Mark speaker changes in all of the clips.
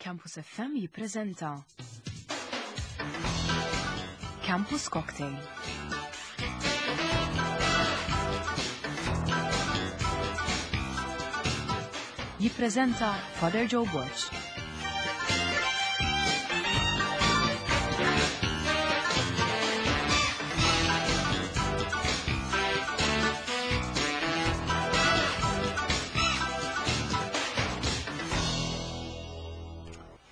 Speaker 1: Campus FM jippreżenta Campus Cocktail. Jippreżenta Father Joe Borg.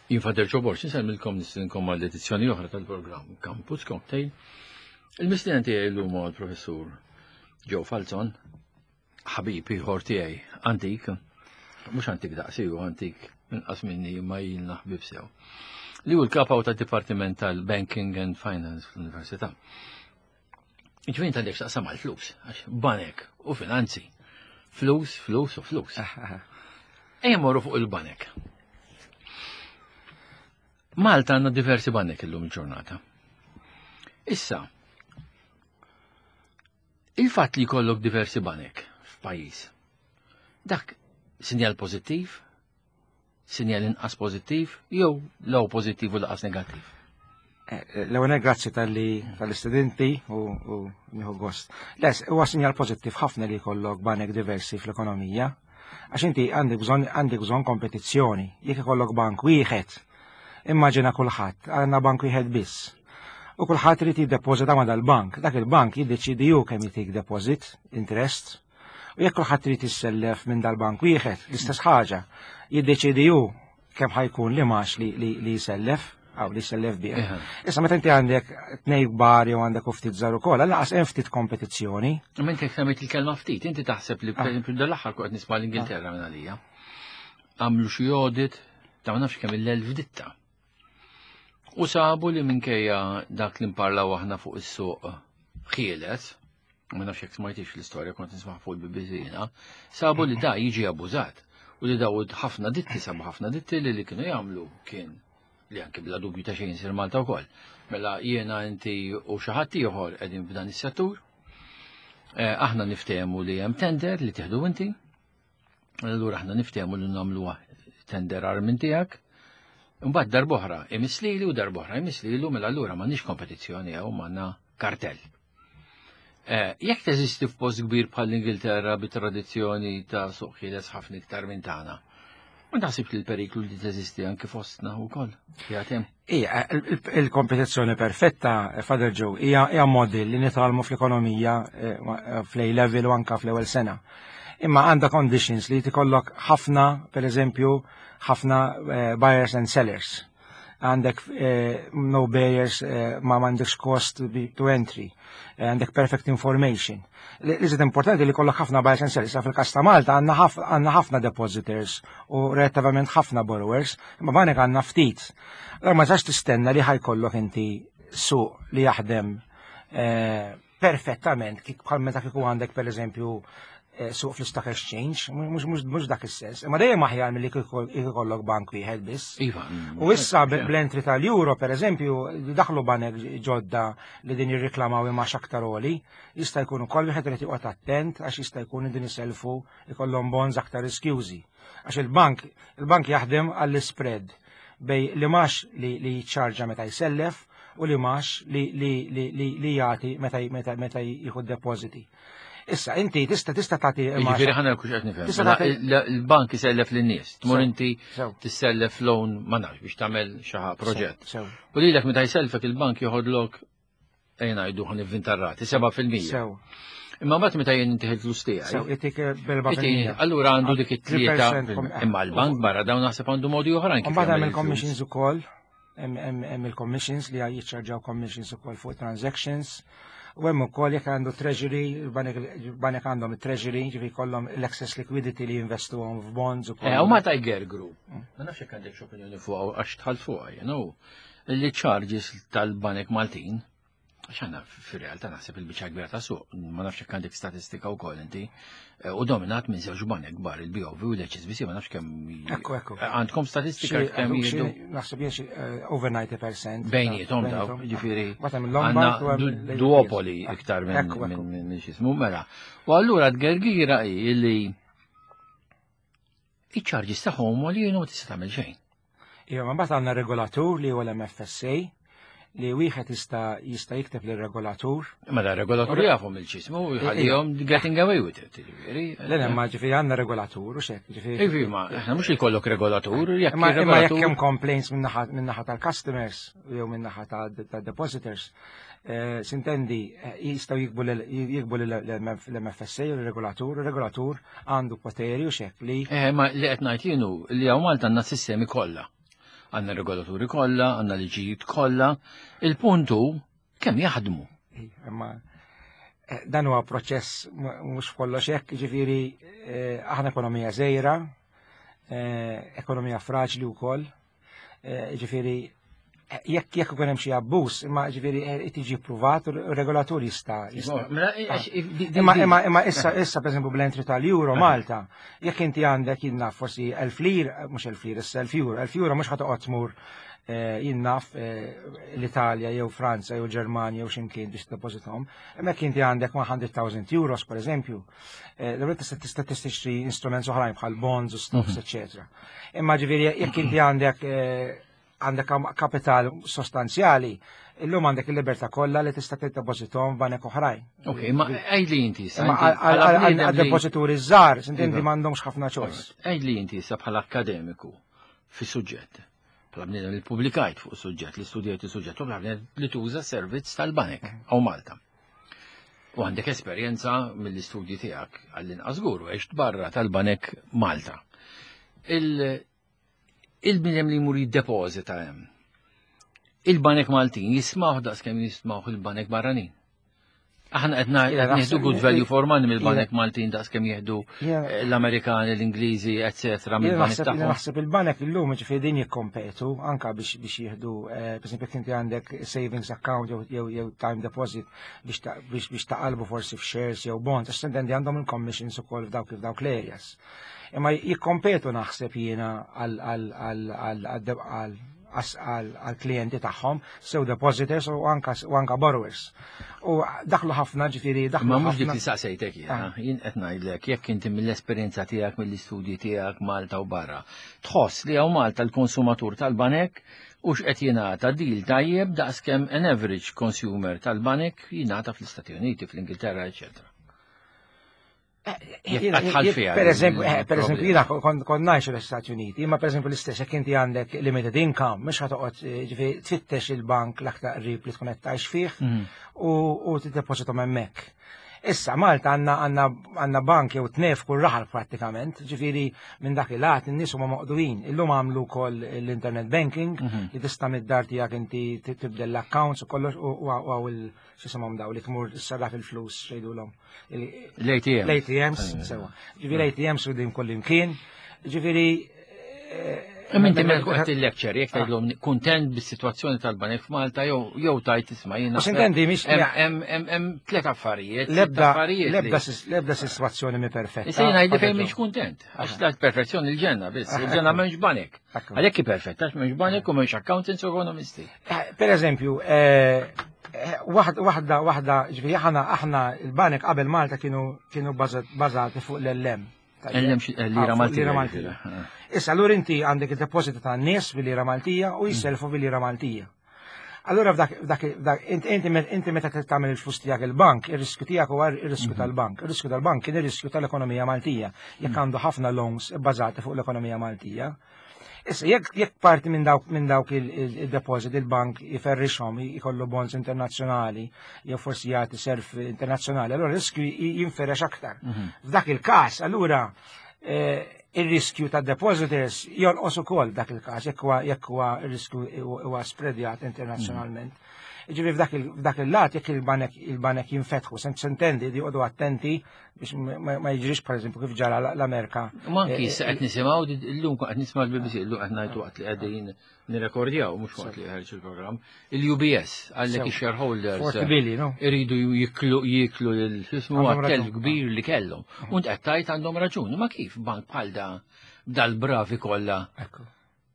Speaker 2: Jien Father Joe Borg, insellmilkom nistinkom għal edizzjoni oħra tal-programm Campus Cocktail. Il-mistieden tiegħi llum huwa l-professur Joe Falzon, ħabib ieħor tiegħi antik, mhux antik daqsi hu antik inqas minni imma ilna ħbieb sew. Li hu l-kapaw tad-Dipartiment tal-Banking and Finance fl-Università. Ġvin ta' għandek x'taqsam għal-flus, għax banek u finanzi. Flus, flus u flus. Ejja morru fuq il-banek. Malta għandna diversi banek illum il-ġurnata. Issa, il-fatt li jkollok diversi banek f'pajjiż, dak sinjal pożittiv, Sinjal inqas pożittiv jew law pożittiv u laqas negattiv?
Speaker 3: Eh, l-ewwel grazzi tal-li tal-istudenti u nieħu gost. Les, huwa sinjal pożittiv ħafna li jkollok banek diversi fl-ekonomija. Għax inti għandek bżonn għandek bżonn kompetizzjoni. Jekk ikollok bank wieħed, immaġina kulħadd, għandna bank wieħed biss. U kulħadd irid jiddepożita ma' dal-bank. Dak il-bank jiddeċidi hu kemm jtik deposit, interest, U jekk kulħadd irid jissellef minn dal-bank wieħed, l-istess ħaġa, jiddeċidi hu kemm ħajkun li max li, li, li jsellef, għaw li jsellef bih. Issa meta inti għandek tnej kbar jew għandek ftit żgħar ukoll, għal hemm ftit kompetizzjoni.
Speaker 2: Imma inti semmejt il-kelma ftit, inti taħseb li ah. pereżempju dal-aħħar kont nisma' l-Ingilterra minn għalija. Għamlu xi audit ta' ma nafx kemm il-elf ditta. U sabu li minkejja dak li nparlaw aħna fuq is-suq ħieles, ma nafx jekk smajtix l-istorja kont nisma' fuq il-BBC sabu li da jiġi abbużat u li daw ħafna ditti sabu ħafna ditti li li kienu jagħmlu kien li anke bla dubju ta' xejn sir Malta wkoll. Mela jiena inti u xi ħadd ieħor qegħdin f'dan is-settur. Eh, aħna niftehmu li hemm tender li tieħdu inti, Allura aħna niftehmu li nagħmluha tender ar minn tiegħek. Imbagħad darb'oħra imiss lili u darb'oħra imiss lilu mela allura m'għandniex kompetizzjoni hawn m'għandna kartell. Eh, jekk teżisti f'post kbir bħal l-Ingilterra bi tradizzjoni ta' suq ħieles ħafna iktar minn tagħna, ma taħsibx li l-periklu li teżisti anke fostna wkoll. Jagħtem.
Speaker 3: Ija, il-kompetizzjoni perfetta, Father Joe, hija model li nitgħallmu fl-ekonomija eh, eh, fl-A level u anka fl-ewwel sena. Imma għandha conditions li tikollok ħafna, per eżempju, ħafna eh, buyers and sellers. Għandek no barriers, ma m'għandekx cost to entry, għandek perfect information. Li iżid importanti li kollok ħafna buyers and sellers. Fil-kas ta' Malta għandna ħafna depositors u relattivament ħafna borrowers, imma banek għandna ftit. Allora ma tistax tistenna li ħajkollok inti suq li jaħdem eh, perfettament kif bħal meta kieku għandek pereżempju eh, suq fl-stock exchange, mhux dak is-sens. Imma dejjem aħjar milli kieku ikollok bank wieħed biss.
Speaker 2: Iva.
Speaker 3: U issa bl-entry tal-euro pereżempju daħlu banek ġodda li din jirriklamaw imma aktar oli, jista' jkun ukoll wieħed irid joqgħod attent għax jista' jkun din iselfu ikollhom bonds aktar riskjużi. Għax il-bank, il-bank jaħdem għall-spread bej li max li, li jiċċarġa meta jsellef u li max li, li, li, li, li jagħti meta, meta, meta jieħu depositi. Issa, inti tista' tista' tagħti
Speaker 2: Jiġifieri ħana kux qed nifhem. Mela, il-bank isellef lin-nies. Tmur inti tissellef loan ma nafx biex tagħmel xi proġett. U lilek meta jsellfek il-bank joħodlok ejja ngħidu ħan ivvinta rati, 7%.
Speaker 3: Sew.
Speaker 2: Imma mbagħad meta jien inti il-flus tiegħi.
Speaker 3: Sew, itik b'erba'
Speaker 2: Allura għandu dik it-tlieta. Imma l-bank barra dawn naħseb għandu modi oħrajn.
Speaker 3: Mbagħad hemm il-commissions ukoll, hemm il-commissions li jiċċarġaw commissions ukoll fuq transactions. U hemm ukoll jekk għandu treasury, il-banek għandhom it-treasury, ġifi jkollhom l-excess liquidity li jinvestuhom f'bonds ukoll.
Speaker 2: Eh, u ma ta' Group. Mm. Ma nafx jekk għandek opinjoni fuq għax tħall fuqha, you know. Li charges tal-banek Maltin, għax għandna fir-realtà naħseb il-biċċa kbira ta' suq, ma nafx jekk għandek statistika wkoll inti, eh, u dominat minn żewġ banek kbar il-BOV u l-HSBC, ma nafx kemm.
Speaker 3: Ekku, ekku.
Speaker 2: Eh, għandkom statistika kemm
Speaker 3: jieħdu? Naħseb jien xi eh, over 90%.
Speaker 2: Bejnietom daw, ġifieri. Għandna duopoli iktar minn x'ismu mela. U allura t-gergira hi li iċ-charges tagħhom li jienu ma tista' tagħmel xejn.
Speaker 3: Iva, mbagħad għandna regolatur li huwa l-MFSA li wieħed jista' jista' jikteb lir-regolatur.
Speaker 2: Ma da regolatur jafhom il-ċismu u jħallihom getting away with it,
Speaker 3: jiġifieri. Le le, ma ġifieri għandna regolatur u xek,
Speaker 2: ġifieri. Ivi, ma aħna mhux ikollok regolatur,
Speaker 3: jekk imma jekk hemm complaints min-naħa tal-customers jew min-naħa tad-depositors, eh, sintendi eh, jistgħu jikbu l-MFSA u l-regolatur, il-regolatur għandu poteri u xek li.
Speaker 2: Eh, ma li qed ngħid jienu li hawn Malta għandna sistemi kollha. Għandna regolaturi kollha, għandna liġijiet kollha. Il-punt hu kemm jaħdmu.
Speaker 3: Imma eh, dan huwa proċess mhux kollox hekk, ġifieri eh, aħna ekonomija żgħira, eh, ekonomija fraġli wkoll, ġifieri jekk jekk ikun hemm xi abbuż, imma ġifieri tiġi ppruvat u r-regolatur jista'
Speaker 2: mela, ah.
Speaker 3: Imma imma imma issa issa pereżempju bl-entry tal-euro Malta, jekk inti għandek jien naf forsi elf lir, mhux elf lir, issa elf euro, elf euro mhux ħa toqgħod tmur eh, jien naf eh, l-Italja jew Franza jew Ġermanja jew x'imkien biex tiddepożithom. Imma jekk inti għandek 100,000 euros pereżempju, eh, l tista' tista' tixtri instruments oħrajn bħal bonds u stocks, mhm. eċetera. Imma ġifieri jekk inti għandek għandek kapital sostanzjali, illum għandek il-libertà kollha li tista' tiddepożithom f'banek oħrajn.
Speaker 2: Ok, ma għidli inti
Speaker 3: issa. Għal-depożituri żgħar, inti m'għandhomx ħafna ċoħs.
Speaker 2: Għidli inti issa bħala akademiku fis-suġġett. Bħala bniedem li publikajt fuq suġġett, li studjajt is-suġġett, u bħala li tuża servizz tal-banek għaw Malta. U għandek esperjenza mill-istudji tiegħek għall-inqas żgur u għext barra tal-banek Malta. Il-bniedem li jmur jiddepożita hemm. Il-banek Maltin jismawh daqskemm jismawh il-banek barranin. Aħna qed nieħdu good value for money mill-banek Maltin daqskemm jieħdu eh, l-Amerikani, l-Ingliżi, eċetera
Speaker 3: mill-banek tagħhom. Naħseb il-banek illum ġifieri din jikkompetu anka biex biex jieħdu eh, pereżempju inti għandek savings account jew jew time deposit biex biex taqalbu forsi f'shares jew bonds, għax intendi għandhom il-commissions ukoll f'dawk f'dawk l-areas. Imma jikkompetu naħseb jiena għal-klijenti tagħhom, sew depositors u anka u anka borrowers. U daħlu ħafna ġifieri daħlu.
Speaker 2: Ma mhux dik li saqsejtek jiena, ah. jien qed ngħidlek jekk inti mill-esperjenza tiegħek mill-istudji tiegħek Malta u barra, tħoss li hawn Malta l-konsumatur tal-banek u x'qed jingħata deal tajjeb daqskemm an average consumer tal-banek jingħata fl-Istati Uniti, fl-Ingilterra, eċetera.
Speaker 3: Per eżempju, eh, per eżempju, jina kont ngħix l-Istati Uniti, imma per eżempju l-istess jekk inti għandek limited income, mhux ħatoqgħod eh, ġifieri tfittex il-bank l-aktar qrib li tkun qed tgħix fih mhm. u tiddepożitom hemmhekk. Issa Malta għandna għandna bank jew tnef kull raħal prattikament, ġifieri minn dak il-għat in-nies huma moqduin. Illum għamlu wkoll l-internet banking mhm. li tista' mid-dar tiegħek inti tibdel l-accounts u kollox u għaw il- x'isimhom daw li tmur issarraf il-flus xejdulhom.
Speaker 2: L-ATMs.
Speaker 3: L-ATMs, sewa. Ġifieri ATMs u din kull imkien. Ġifieri
Speaker 2: eh, Imma inti meta qed il-lecture jekk tgħidlhom kuntent bis-sitwazzjoni tal-banek f'Malta jew jew tajt isma'
Speaker 3: jiena. Intendi mhix
Speaker 2: hemm tliet affarijiet.
Speaker 3: L-ebda l-ebda sitwazzjoni mi perfetta.
Speaker 2: Issa jiena ngħidli fejn mhix kuntent. Għax dak perfezzjoni l-ġenna biss, il-ġenna m'hemmx banek. Għalhekk hi perfetta, għax m'hemmx banek u m'hemmx accountants u ekonomisti.
Speaker 3: Eh, per eżempju, eh, eh, waħda, waħda, ġifieri aħna aħna il-banek qabel Malta kienu kienu bażati fuq l-LM.
Speaker 2: LM lira ah, Maltija.
Speaker 3: Maltija. Issa allura inti għandek id-depożiti tan-nies bil-lira Maltija u jisselfu bil-lira Maltija. Allura f'dak f'dak inti meta tagħmel il-flus tiegħek il-bank, ir-riskju tiegħek huwa ir-riskju mhm. tal-bank. Ir-riskju tal-bank kien ir-riskju tal-ekonomija Maltija. Jekk mhm. għandu ħafna loans bbażati fuq l-ekonomija Maltija. Issa jekk jekk parti minn dawk minn dawk il-deposit il-bank jiferrixhom jkollu bonds internazzjonali jew forsi jagħti self internazzjonali, allura riskju jinferex aktar. Mhm. F'dak il-każ allura eh, ir-riskju ta' depositors jonqos ukoll dak il-każ jekk huwa jekk huwa r-riskju huwa spreadjat internazzjonalment. Ġifieri f'dak il-lat jekk il-banek il-banek jinfetħu, sentendi li joqogħdu attenti biex ma jiġrix pereżempju kif ġara l-Amerika.
Speaker 2: Ma anki issa qed nisimgħu illum qed nisma' l-BBC illum qed ngħidu waqt li qegħdin nirrekordjaw mhux waqt li ħarġ il-programm, il-UBS għallek ix-shareholders iridu jiklu jiklu l-ismu telf kbir li kellhom. U qed tajt għandhom raġun, ma kif bank bħal da dal-bravi kollha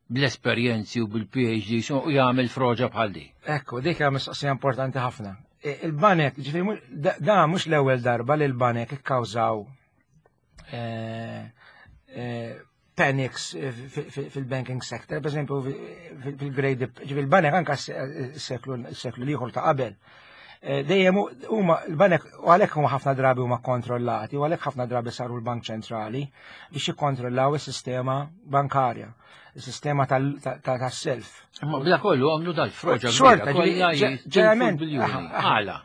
Speaker 2: bl-esperjenzi u bil-PhD u jagħmel froġa bħal di.
Speaker 3: Ekku, dik hija mistoqsija importanti ħafna. E, il-banek, ġifieri da mhux l-ewwel darba li l-banek ikkawżaw e, e, panics eh, fil-banking sector, per esempio fil-Great fil-banek anka s-seklu l-ieħor ta' qabel. Eh, dejjem huma l-banek u għalhekk huma ħafna drabi huma kontrollati u għalhekk ħafna drabi saru l-Bank Ċentrali biex jikkontrollaw is-sistema bankarja, is-sistema tas-self.
Speaker 2: Imma bla kollu għamlu dal-froġa.
Speaker 3: Xorta, ġeneralment.
Speaker 2: Għala.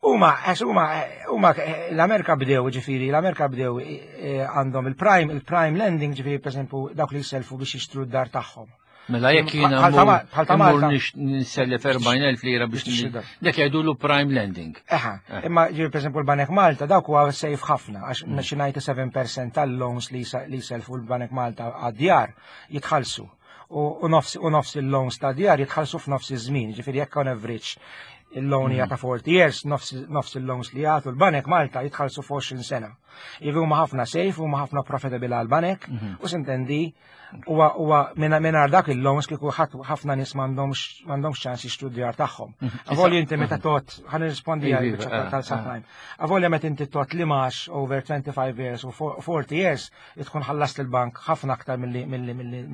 Speaker 3: Huma, għax huma, huma l-Amerika bdew, ġifieri, l-Amerika bdew eh, għandhom il-prime, il-prime lending, ġifieri, per esempio, dawk li jiselfu biex jixtru d-dar tagħhom.
Speaker 2: Mela jekk jiena mmur nisellef 40,000 lira biex dak jgħidulu prime lending.
Speaker 3: Eħa, eh. imma ġifieri per esempio l-Banek Malta dawk huwa safe ħafna għax xi 97% tal-loans li jiselfu l-Banek Malta għad-djar jitħallsu u nofs il-loans ta' djar jitħallsu f'nofs iż-żmien, ġifieri jekk on average il-loan hija ta' 40 years, nofs il-loans li jagħtu l-banek Malta jitħallsu f'20 sena. Jiġifieri huma ħafna safe, huma ħafna profitable għall-banek u sintendi huwa mingħajr dak il-loans kieku ħafna nies m'għandhomx ċans jixtru d-djar tagħhom. Mhm. Avolja inti meta mhm. tot, ħan nirrispondi għal eh, tal-subprime. Eh. Avolja meta inti tot li max over 25 years u 40 years, tkun ħallast il-bank ħafna aktar milli milli milli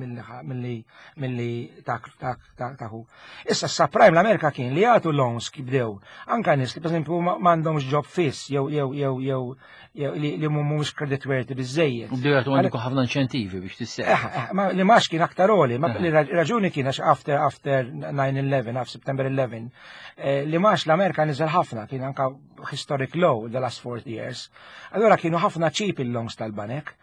Speaker 3: milli milli taħu. Issa s-subprime l-Amerika kien li jagħtu loans kif bdew. Anka nies li pereżempju m'għandhomx job fiss jew jew jew jew li mhumiex credit worthy biżejjed.
Speaker 2: U bdew jagħtu għandek ħafna inċentivi biex tisseħ.
Speaker 3: Eh, eh, li max kien aktar oli, ma li raġuni kien għax after after 9/11, after September 11, eh, li max l-Amerika niżel ħafna, kien anka historic low the last 40 years. Allura kienu ħafna cheap il-longs tal-banek.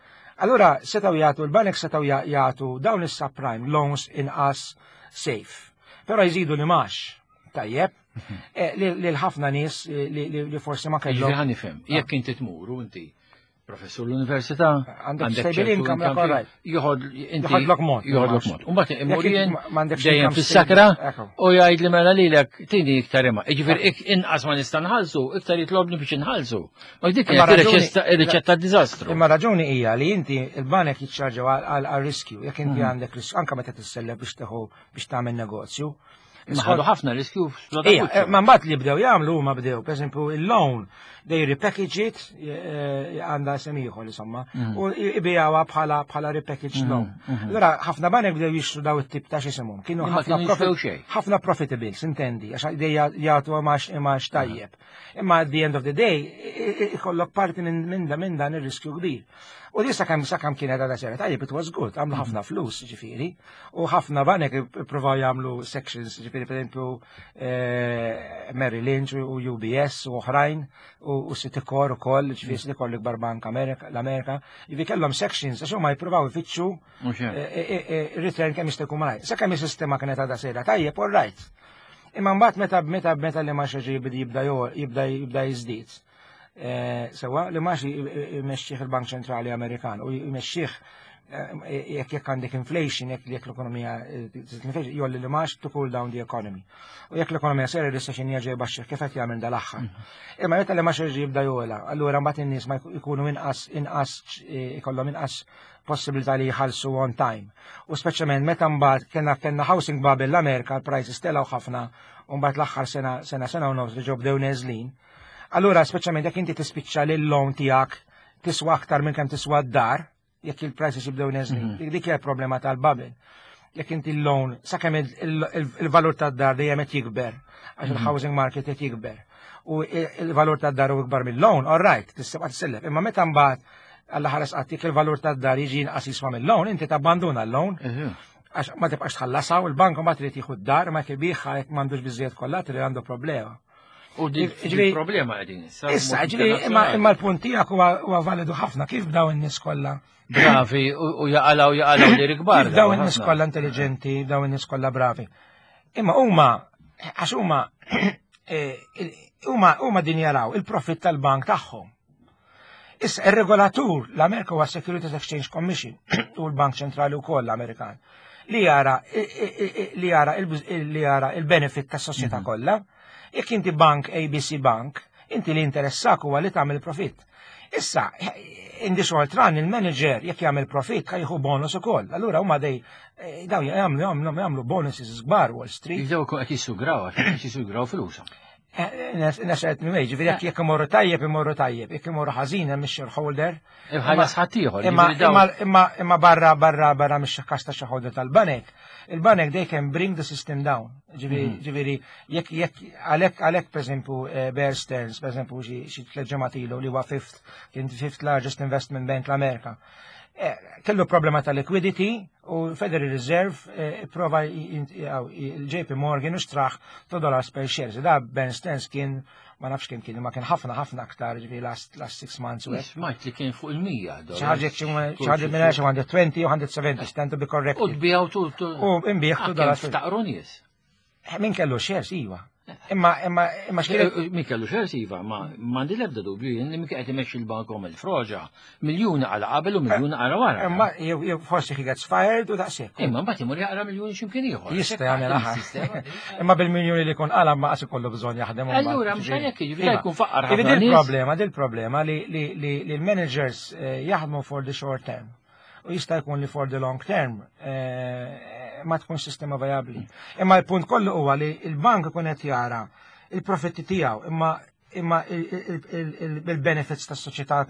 Speaker 3: Allura setgħu jagħtu l-banek setgħu jagħtu dawn is-subprime loans inqas safe. Però jżidu li max. Tajjeb, eh, li l-ħafna nies eh, li forsi ma kellhom.
Speaker 2: Ġifieri nifhem, jekk inti tmur u inti professur l-università,
Speaker 3: għandek stable income,
Speaker 2: joħod inti
Speaker 3: joħodlok mod.
Speaker 2: Joħodlok mod. Umbagħad imur jien dejjem fis-sakra u jgħid li mela lilek tini iktar imma. Jiġifieri inqas ma nista' nħallsu, iktar jitlobni biex inħallsu. Ma dik kienet ir-riċetta diżastru.
Speaker 3: Imma raġuni hija li inti il-banek jiċċarġaw għal riskju, jekk inti mhm. għandek riskju anke meta tissellef biex teħu biex tagħmel negozju.
Speaker 2: Ħadu ħafna riskju
Speaker 3: Ija, eh, ma mbagħad li bdew jagħmlu huma bdew, pereżempju il-loan they repackage it eh, għandha isem ieħor insomma, mhm. u ibijawha bħala bħala repackaged mhm, loan. Mhm. Allura ħafna banek bdew jixtru daw it-tip ta' x'isimhom. Kienu ħafna profitable, intendi, għax jagħtu imax tajjeb. Imma at the end of the day, ikollok parti minn minn dan ir-riskju kbir. U di sakemm sakemm kienet għadha sera tajjeb, it was good, għamlu ħafna mhm. flus, ġifieri, u ħafna banek ippruvaw jagħmlu sections, ġifieri pereżempju eh, Merrill Lynch u UBS u oħrajn u Citicorp ukoll, ġifieri mhm. Citicorp l-ikbar bank l-Amerika, ġifieri kellhom sections għax huma jippruvaw ifittxu eh, eh, return kemm jista' jkun malajr. Sakemm is-sistema kienet għadha sejra tajjeb, all right. Imma mbagħad meta meta meta li ma xi jibda jibda jibda jiżdied. Eh, sewa li ma xi jmexxih il-Bank Ċentrali Amerikan u jmexxih eh, jekk jekk għandek inflation, jekk jekk l-ekonomija eh, jolli li max to cool down the economy. U jekk l-ekonomija sera recession jerġa' jbaxxih kif qed jagħmel dal-aħħar. Mhm. Imma meta li max jerġa' jibda jola, allura mbagħad in-nies ma jkunu inqas inqas ikollhom inqas possibilità li jħallsu on time. U speċjalment meta mbagħad kellna kellna housing bubble l-Amerika, l-prices telgħu ħafna u mbagħad l-aħħar sena sena sena u nofs li ġew bdew neżlin. Allura speċjalment jekk inti tispiċċa lil loan tiegħek tiswa aktar minn kemm tiswa d-dar, jekk il-prices jibdew neżlin. Mhm. Dik hija problema tal-bubble. Jekk inti l-loan, sakemm il-valur tad-dar dejjem qed jikber, għax mhm. il-housing market qed jikber. U il-valur tad-dar u ikbar mill-loan, all right, tista' tisellef. Imma meta mbagħad Alla ħares qatt jekk il-valur tad-dar jiġi inqas jiswa mill-loan, inti tabbanduna l-loan. Għax ma tibqax tħallasha u l-bank ma trid jieħu d-dar ma jkibieħha jekk m'għandux biżejjed kollateral għandu problema.
Speaker 2: U dik problema qegħdin
Speaker 3: issa. Issa, ġifieri imma l-punt tiegħek huwa validu ħafna kif daw in-nies kollha.
Speaker 2: Bravi u jaqalgħu jaqalgħu li rikbar.
Speaker 3: Daw in-nies kollha intelligenti, daw in-nies kollha bravi. Imma huma għax huma eh, huma huma din jaraw il-profitt tal-bank tagħhom. Issa, ir-regolatur l-Amerika huwa Securities Exchange Commission u l-Bank Ċentrali wkoll l-Amerikan li jara li jara li jara il-benefit tas-soċjetà mhm. kollha. Jekk inti bank ABC Bank, inti li interessak huwa li tagħmel profitt. Issa, in the short run, il-manager jekk jagħmel profitt jieħu bonus ukoll. Allura huma dej eh, daw jagħmlu jagħmlu jagħmlu bonuses kbar Wall Street.
Speaker 2: Jibdew qed jissugraw, qed jissugraw flushom.
Speaker 3: In a certain way, ġifieri jekk imorru tajjeb, imorru tajjeb, jekk imorru ħażin hemm shareholder.
Speaker 2: Imma ħaddieħor.
Speaker 3: Imma barra mhix każ ta' shareholder tal-banek. Il-banek, they can bring the system down. Ġifieri jekk għalhekk pereżempju Bear Stearns, pereżempju xi 3 ġimgħat ilu, li huwa fifth kien fifth largest investment bank l-Amerika, kellu problema ta' liquidity u Federal Reserve prova il-JP Morgan u xtrah $2 per share. Da Bear Stearns kien, ma nafx kien, ma kien ħafna ħafna aktar, ġifieri last 6 months. U
Speaker 2: Smajt li kien fuq il-100.
Speaker 3: Xi ħaġa minn 120 u 170, stand to be corrected.
Speaker 2: U tbiegħu tu.
Speaker 3: U nbiegħ $2.
Speaker 2: Ftaqru nies.
Speaker 3: Min kellu shares, iva. Imma x'kien
Speaker 2: Min kellu shares, iva, ma m'għandi l-ebda dubju jien li min qed imexxi l-bank il-froġa, miljuni għala qabel u miljuni għala wara.
Speaker 3: Imma jew forsi he gets fired u daqshekk.
Speaker 2: Imma mbagħad imur jaqra miljuni x'imkien ieħor.
Speaker 3: Jista' jagħmel aħar. Imma bil-miljuni li jkun qala ma qas ikollu bżonn jaħdem.
Speaker 2: Allura mhux għalhekk, jiġifieri jkun faqqar
Speaker 3: ħafna. Dil-problema li l-managers jaħdmu for the short term u jista' jkun li for the long term ma tkun sistema viabli. Imma l-punt kollu huwa li il-bank ikun qed jara il-profitti tiegħu, imma il-benefits tas-soċjetà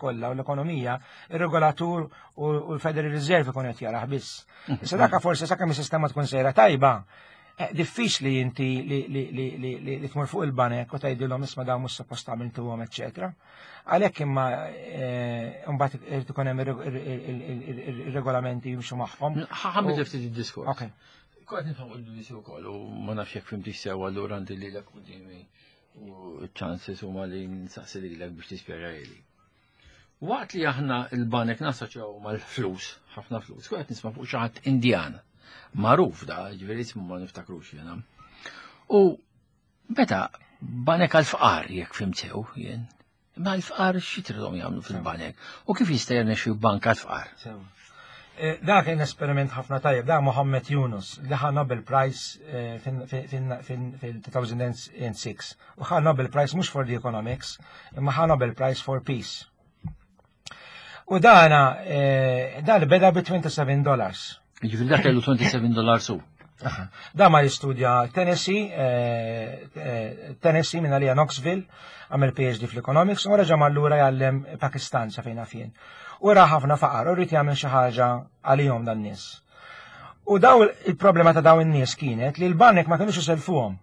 Speaker 3: kollha u l-ekonomija, ir-regolatur u l-Federal Reserve ikun qed jarah biss. Issa dak forsi sakemm is-sistema tkun sejra tajba, diffiċli inti li tmur fuq il-banek u tgħidilhom, "Isma', dawn mhux suppost għamiltuhom," eċċetera. Għalhekk imma mbagħad irid ikun hemm ir-regolamenti jimxu magħhom.
Speaker 2: Ħa nbiddel ftit id-diskors. Ok. Kont nifhem il-BBC wkoll u ma nafx jekk fhimtix sew, allura għandi lilek quddiemi u chances huma li nsaqsi lilek biex tispjega li. Waqt li aħna il-banek nassoċjaw mal-flus, ħafna flus, kont nisma' fuq xi ħadd Indjan. Magħruf da, ġifieri ismu ma niftakrux jiena. U meta banek għal-fqar, jekk fhimt sew jien, ma l-fqar xi tridhom jagħmlu fil-banek? U kif jista' jirnexxi bank għal-fqar?
Speaker 3: Dak kien esperiment ħafna tajjeb, da Mohammed Yunus li ħa Nobel Prize fil-2006. U ħa Nobel Prize mhux for the economics, imma ħa Nobel Prize for Peace. U dana, dan beda bi $27.
Speaker 2: Ġifieri dak kellu $27 su.
Speaker 3: Da ma jistudja Tennessee, Tennessee minn għalija Knoxville, għamel PhD fl-economics, u reġa' lura jgħallem Pakistan sa fejn fien. U ra ħafna faqar, u ried jagħmel xi ħaġa għalihom dan nies. U daw il-problema ta' daw in-nies kienet li l-banek ma kienux iselfuhom.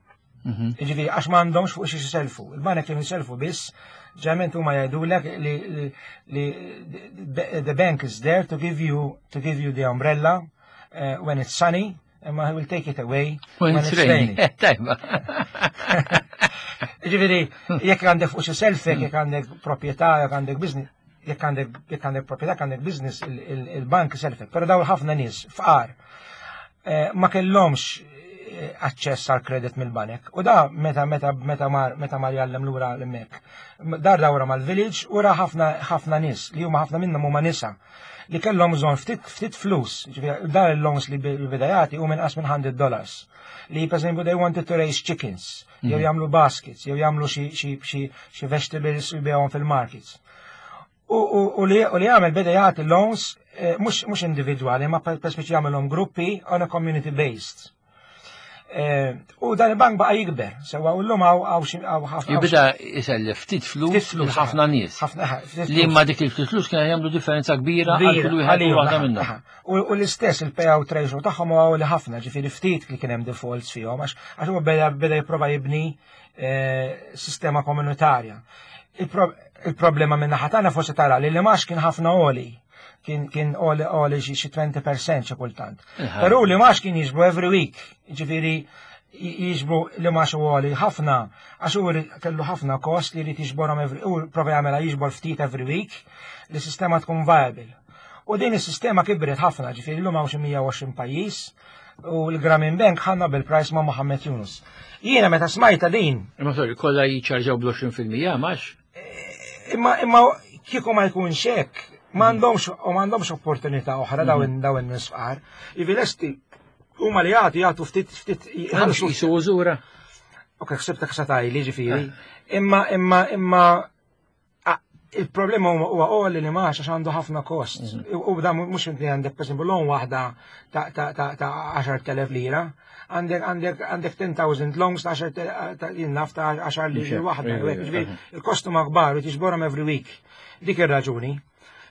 Speaker 3: Ġifieri għax m'għandhomx fuq xi jiselfu. Il-banek kienu jiselfu biss, ġeneralment huma jgħidulek li the bank is there to give you the umbrella when it's sunny, imma he will take it away
Speaker 2: when it's rainy. Tajba.
Speaker 3: Ġifieri, jekk għandek fuq xi selfek, jekk għandek proprjetà, jekk għandek business, jekk għandek proprjetà, jekk għandek business, il-bank selfek. Però daw ħafna nies fqar ma kellhomx aċċess għal kredit mill-banek. U da meta mar jgħallem lura l-mek. Dar dawra mal-village u ra ħafna ħafna nies li huma ħafna minnhom huma nisa li kellhom bżonn ftit ftit flus, ġifieri dar il-loans li beda jagħti hu minn minn $100. Li per esempio they wanted to raise chickens, jew jagħmlu baskets, jew jagħmlu xi vegetables u jbigħuhom fil-markets. U li għamel, beda jagħti loans mhux individwali, ma per speċi jagħmelhom gruppi on a community based. U dan il-bank baqa jikber, sewa u l-lum hawn ħafna.
Speaker 2: Jibda jisellef ftit flus lil ħafna nies. Li ma dik il-ftit flus kienu jagħmlu differenza kbira għal kull wieħed u waħda minnhom.
Speaker 3: U l-istess il-payout ratio tagħhom huwa li ħafna, ġifieri ftit li kien hemm defaults fihom għax huwa beda jipprova jibni sistema komunitarja. Il-problema minn naħa tagħna forsi tara li l-imgħax kien ħafna għoli, kien għoli xi 20% xi kultant. Però l-imgħax kien jiġbru every week, ġifieri jiġbru l-imgħax għoli ħafna għax hu kellu ħafna kost li jrid jiġborhom every, u prova jagħmilha jiġbor ftit every week li sistema tkun viable. U din is-sistema kibret ħafna, ġifieri llum hawn xi 120 pajjiż u l-Grameen Bank ħa Nobel Prize ma' Mohammed Yunus. Jiena meta smajta din.
Speaker 2: Imma sorry, kollha jiċċarġaw bl-20% mhux?
Speaker 3: Imma kieku ma jkunx hekk, m'għandhomx u m'għandhomx opportunità oħra dawn in-nies fqar. Ivi lesti huma li jagħtu ftit ftit.
Speaker 2: Jħallsu jisu użura.
Speaker 3: Ok, ħsibtek sa tgħidli ġifieri. Imma imma imma Il-problema huwa għoli li maħx għax għandu ħafna kost. U da mhux inti għandek pereżempju loan waħda ta' 10,000 lira, għandek għandek għandek 10,000 loans ta' 10 jinnaf ta' 10 lira waħda. Il-kost huma kbar u tiġborhom every week. Dik ir-raġuni.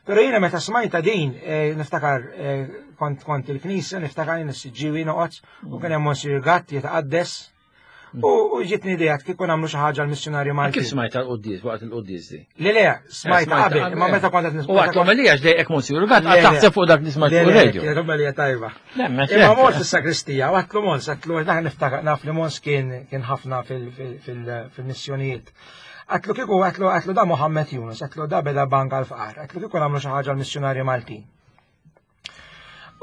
Speaker 3: Pero jiena meta smajta din, eh, niftakar eh, kont kont il-knisja, niftakar jien is-siġġiwi noqgħod u kien hemm Monsir Gatt jitqaddes. U ġitni idea kieku nagħmlu xi ħaġa l-missjonarju Malti.
Speaker 2: Kif smajta l-quddies waqt il-quddies di?
Speaker 3: Le le, smajta eh, qabel, imma meta kont qed
Speaker 2: nisma'. U għat l-omelija x'dejqek Monsir Gatt għad taħseb fuq dak li smajt fuq
Speaker 3: radio. Le, l-omelija tajba. Imma mort fis-sakristija, għatlu Mons, għatlu niftakar naf li Mons kien ħafna fil-missjonijiet. Għatlu kieku għatlu għatlu da Mohammed Yunus, għatlu da beda bank għal-fqar, għatlu kieku nagħmlu xi ħaġa l-missjonarji Maltin.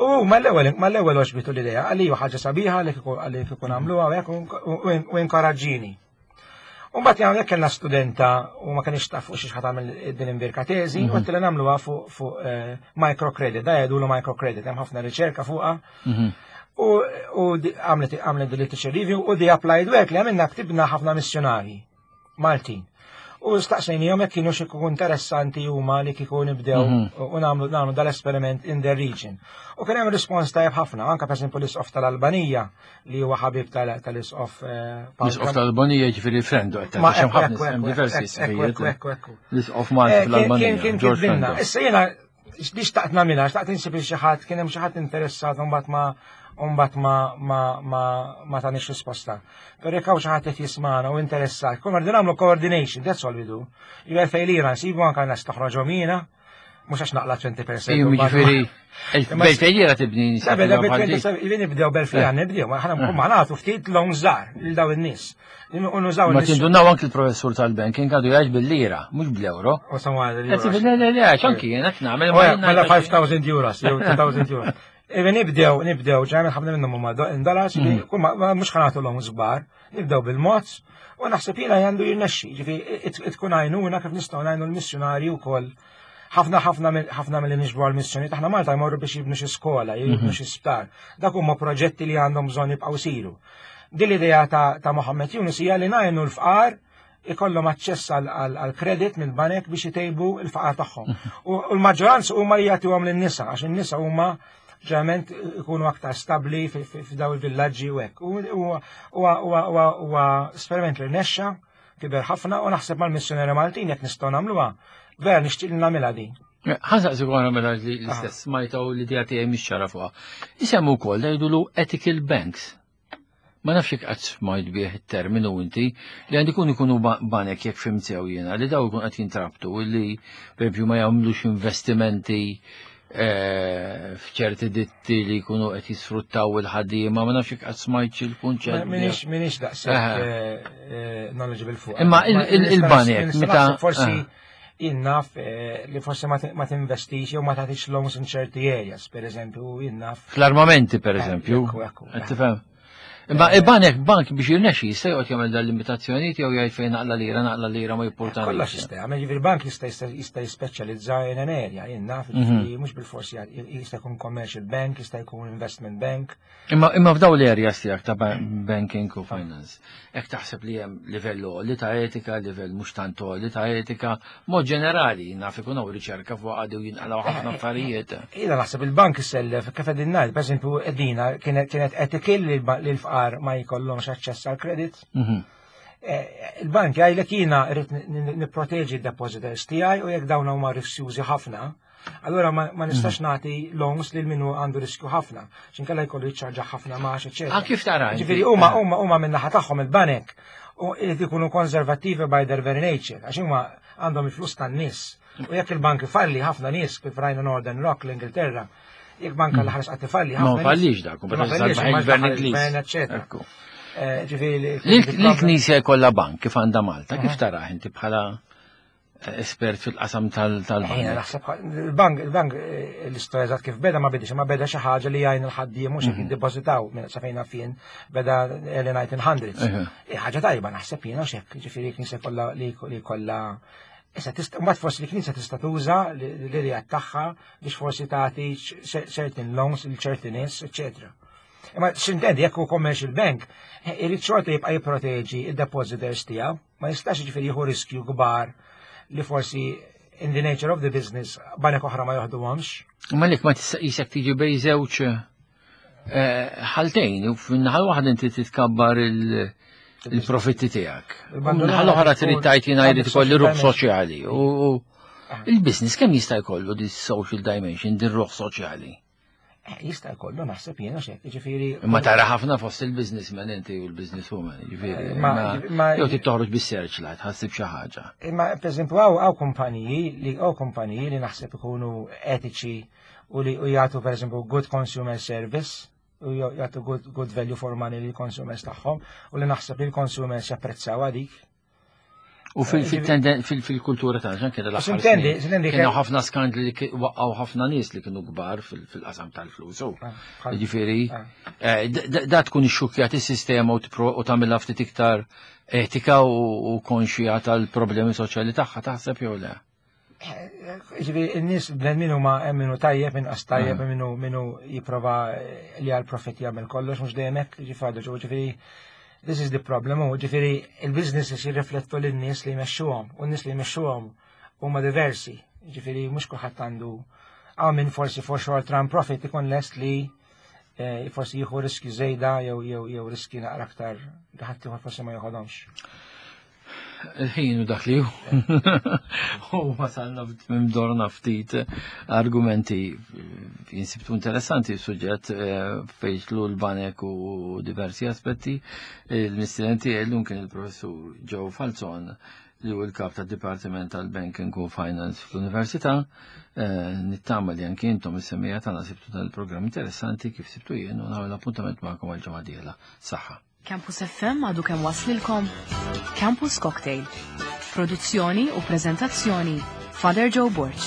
Speaker 3: U mal-ewwel mal-ewwel oġbitu l-idea, għalli ħaġa sabiħa li kieku għalli kieku nagħmluha u inkoraġġini. U mbagħad hawnhekk kellna studenta u ma kienx taf fuq xi ħadd tagħmel din imbirka teżi, u għedtilha nagħmluha fuq eh, microcredit, da jgħidulu microcredit, hemm ħafna riċerka fuqha. U għamlet għamlet literature review u di applied work li għamilna ktibna ħafna missjonari Maltin. U staqsejnihom jekk kienu xi interessanti huma li kieku nibdew u nagħmlu nagħmlu dal-esperiment in the region. U kien hemm rispons tajjeb ħafna, anke pereżempju l-isqof tal-Albanija li huwa ħabib tal-isqof. Eh,
Speaker 2: l-isqof tal-Albanija jiġifieri frendu qed ħafna hemm diversi isqofijiet. L-isqof Malti eh, fl-Albanija.
Speaker 3: Kien kien Issa jiena Li xtaqt nagħmilha, xtaqt insib xi ħadd, kien hemm xi ħadd interessat u mbagħad ma mbagħad ma ma ma ma tanix risposta. Però jekk hawn xi ħadd qed jismagħna u interessat, konna rridu nagħmlu coordination, that's all we do. Jew fejn lira nsibu anke nas toħroġhom jiena, mhux għax naqla 20%.
Speaker 2: Ejju jiġifieri bel lira tibni.
Speaker 3: Bel nibdew bel lira nibdew, ma ħana ma nagħtu ftit long żgħar lil dawn in-nies.
Speaker 2: Unużaw Ma tindunaw anki l-professur tal-banking għadu jgħid bil-lira, mhux bl-euro.
Speaker 3: U samwa
Speaker 2: Le, le, le, anki jien qed nagħmel.
Speaker 3: Mela 5000 euros, jew 2000 euros. Iva nibdew, nibdew, ġemmen ħafna minnhom huma dollars, mhux ħanatu l-hom żbar, nibdew bil-mod, u naħseb jiena għandu jirnexxi, ġifi tkun għajnuna kif nistgħu ngħinu l-missjonarji wkoll ħafna ħafna ħafna mill nixbru għal-missjoni taħna Malta jmorru biex jibnu xi skola, jibnu xi sptar. Dak huma proġetti li għandhom bżonn jibqgħu siru. Din l-idea ta', ta Mohammed Yunus hija li ngħinu l-fqar ikollhom aċċess għal kredit mill-banek biex itejbu l-faqar tagħhom. U l-maġġoranza huma li jagħtuhom lin-nisa għax in-nisa huma ġeneralment ikunu aktar stabbli f'daw il-villaġġi u hekk. Huwa esperiment li rnexxa kiber ħafna u naħseb mal-missjoneri Maltin jekk nistgħu nagħmluha, vera nixtieq li nagħmilha din.
Speaker 2: Ħansaqsi għana mela li l-istess smajta u l-idea tiegħi mhix ċara fuqha. Isemmu wkoll jgħidulu ethical banks. Ma nafx jekk qatt smajt bih it-terminu inti li għandi kun ikunu banek jekk fhimt sew jiena li daw ikun qed jintrabtu li pereżempju ma jagħmlux investimenti eh, f'ċerti ditti li jkunu qed jisfruttaw il-ħaddiema, ma nafx jekk qatt smajtx il-kunċett.
Speaker 3: Minix daqshekk eh, eh, knowledgeable fuq.
Speaker 2: Imma il-banek meta
Speaker 3: forsi jien naf eh, li forsi ma tinvestix jew ma tagħtix loans in ċerti areas, per eżempju, jien naf.
Speaker 2: Fl-armamenti, per eh, eżempju. Tifhem. Imma eh, il-banek bank biex jirnexxi jista' joqgħod jagħmel dan l-limitazzjonijiet jew jgħid fejn naqla lira, naqla lira ma jippurtani.
Speaker 3: Kollox jista' jagħmel, jiġifieri bank jista' jista' jispeċjalizza in an area, jien naf, mhm. mhux bil-forsi jista' jkun commercial bank, jista' jkun investment bank.
Speaker 2: Imma imma f'daw l-areas tiegħek ta' banking u finance, hekk taħseb li hemm livell li ta' etika, livell mhux tant li ta' etika, mod ġenerali naf ikun hawn riċerka fuq għadu jinqalgħu ħafna affarijiet.
Speaker 3: Jiena naħseb il-bank isellef kif qegħdin ngħid, pereżempju qegħdina kienet etikil li l-fqar ma jkollhomx aċċess għal kredit. Mhm. Eh, il-bank jgħidlek jiena rrid nipproteġi d-depositors tiegħi u jekk dawn huma riskjużi ħafna, Allura ma nistax mm. nagħti loans lil minnu għandu riskju ħafna, x'inkella jkollu jiċċarġa ħafna max, eċetera.
Speaker 2: Ah, kif tara?
Speaker 3: Ġifieri huma eh. huma huma min-naħa tagħhom il-banek u jrid ikunu konservattivi by their very nature, għax huma għandhom il-flus tan-nies. U jekk il-bank ifalli ħafna nies kif rajna Northern Rock l-Ingilterra, jekk banka mm. l-ħares qatt ifalli
Speaker 2: ħafna. Ma fallix dak,
Speaker 3: ma fallix, ma eċetera.
Speaker 2: Eh, ġifieri l-Knisja jkollha bank kif għandha Malta, kif taraħ inti bħala espert fil-qasam tal-bank.
Speaker 3: Naħseb il-bank, il-bank eh, l-istorja eżatt kif beda ma bidix, ma beda xi ħaġa li jgħin il-ħaddiem mhux jekk mhm. jiddepożitaw minn sa fejn fien beda early 1900s. Eh, ħaġa tajba naħseb jiena x'hekk, ġifieri knisja kollha li kollha Issa tista' mbagħad forsi l-knisja tista' tuża l-idea tagħha biex forsi tagħti certain loans lil ċerti nies, eċetera. Imma x'intendi jekk hu commercial bank, eh, irid xorta jibqa' jipproteġi id-depositors tiegħu. Ma jistax jiġifieri jieħu riskju kbar li forsi. in the nature of the business banek oħra ma joħduhomx.
Speaker 2: Ma lek ma tista' qisek tiġi bejn żewġ eh, ħaltejn, u fin-naħa waħda inti titkabbar il-profitti tiegħek. Naħa l-oħra trid tgħid jiena jrid ikolli ruħ soċjali. U ah. il-business kemm jista' jkollu di social dimension, din ruħ soċjali?
Speaker 3: Eh, jista' jkollu naħseb jiena xek, ġifieri.
Speaker 2: Imma tara ħafna fost il-businessmen inti u l-businesswoman, ġifieri. Eh, jew trid toħroġ bis-searchlight, ħassib xi ħaġa.
Speaker 3: Imma pereżempju hawn kumpaniji li hawn kumpaniji li naħseb ikunu etiċi u li jagħtu pereżempju good consumer service u jagħtu good, good value for money lill consumers tagħhom u li naħseb li l-consumers japprezzaw dik.
Speaker 2: U fil-kultura ta' ġan kien l-aħħar. Kienu ħafna skandli li waqqaw ħafna nies li kienu kbar fil-qasam tal-flus. Ah, Ġifieri, ah. eh, da tkun ixxukkjat is-sistema u tagħmilha ftit iktar etika u konxija tal-problemi soċjali tagħha taħseb jew le?
Speaker 3: Eh, ġifieri, in-nies bnedmin huma hemm minnu tajjeb, inqas tajjeb, ah. minnu minnu jipprova li għal profit jagħmel kollox mhux dejjem hekk, ġifieri, ġifieri This is the problem, u ġifiri il-businesses jirriflettu lin-nies li jmexxuhom, u n-nies li jmexxuhom huma diversi, ġifiri mhux kulħadd għandu għaw minn forsi for short run profit ikun lest li eh, forsi jieħu riski żejda jew jew jew riski naqra aktar li ħadd ieħor forsi ma joħodhomx.
Speaker 2: Il-ħin u dak li hu. U wasalna mdorna ftit argumenti jinsibtu interessanti suġġett eh, fejn l-banek u diversi aspetti. Il-mistidenti llum kien il-professur Joe Falzon li hu l-kap tad-Dipartiment tal-Banking u Finance fl-Università. Eh, nittama li anki intom is-semija tagħna sibtu dan il-programm interessanti kif sibtu jien u nagħmel appuntament magħkom għal-ġimgħa dieħla. Saħħa.
Speaker 1: Campus FM għadu kemm waslilkom Campus Cocktail. Produzzjoni u prezentazzjoni Father Joe Borg.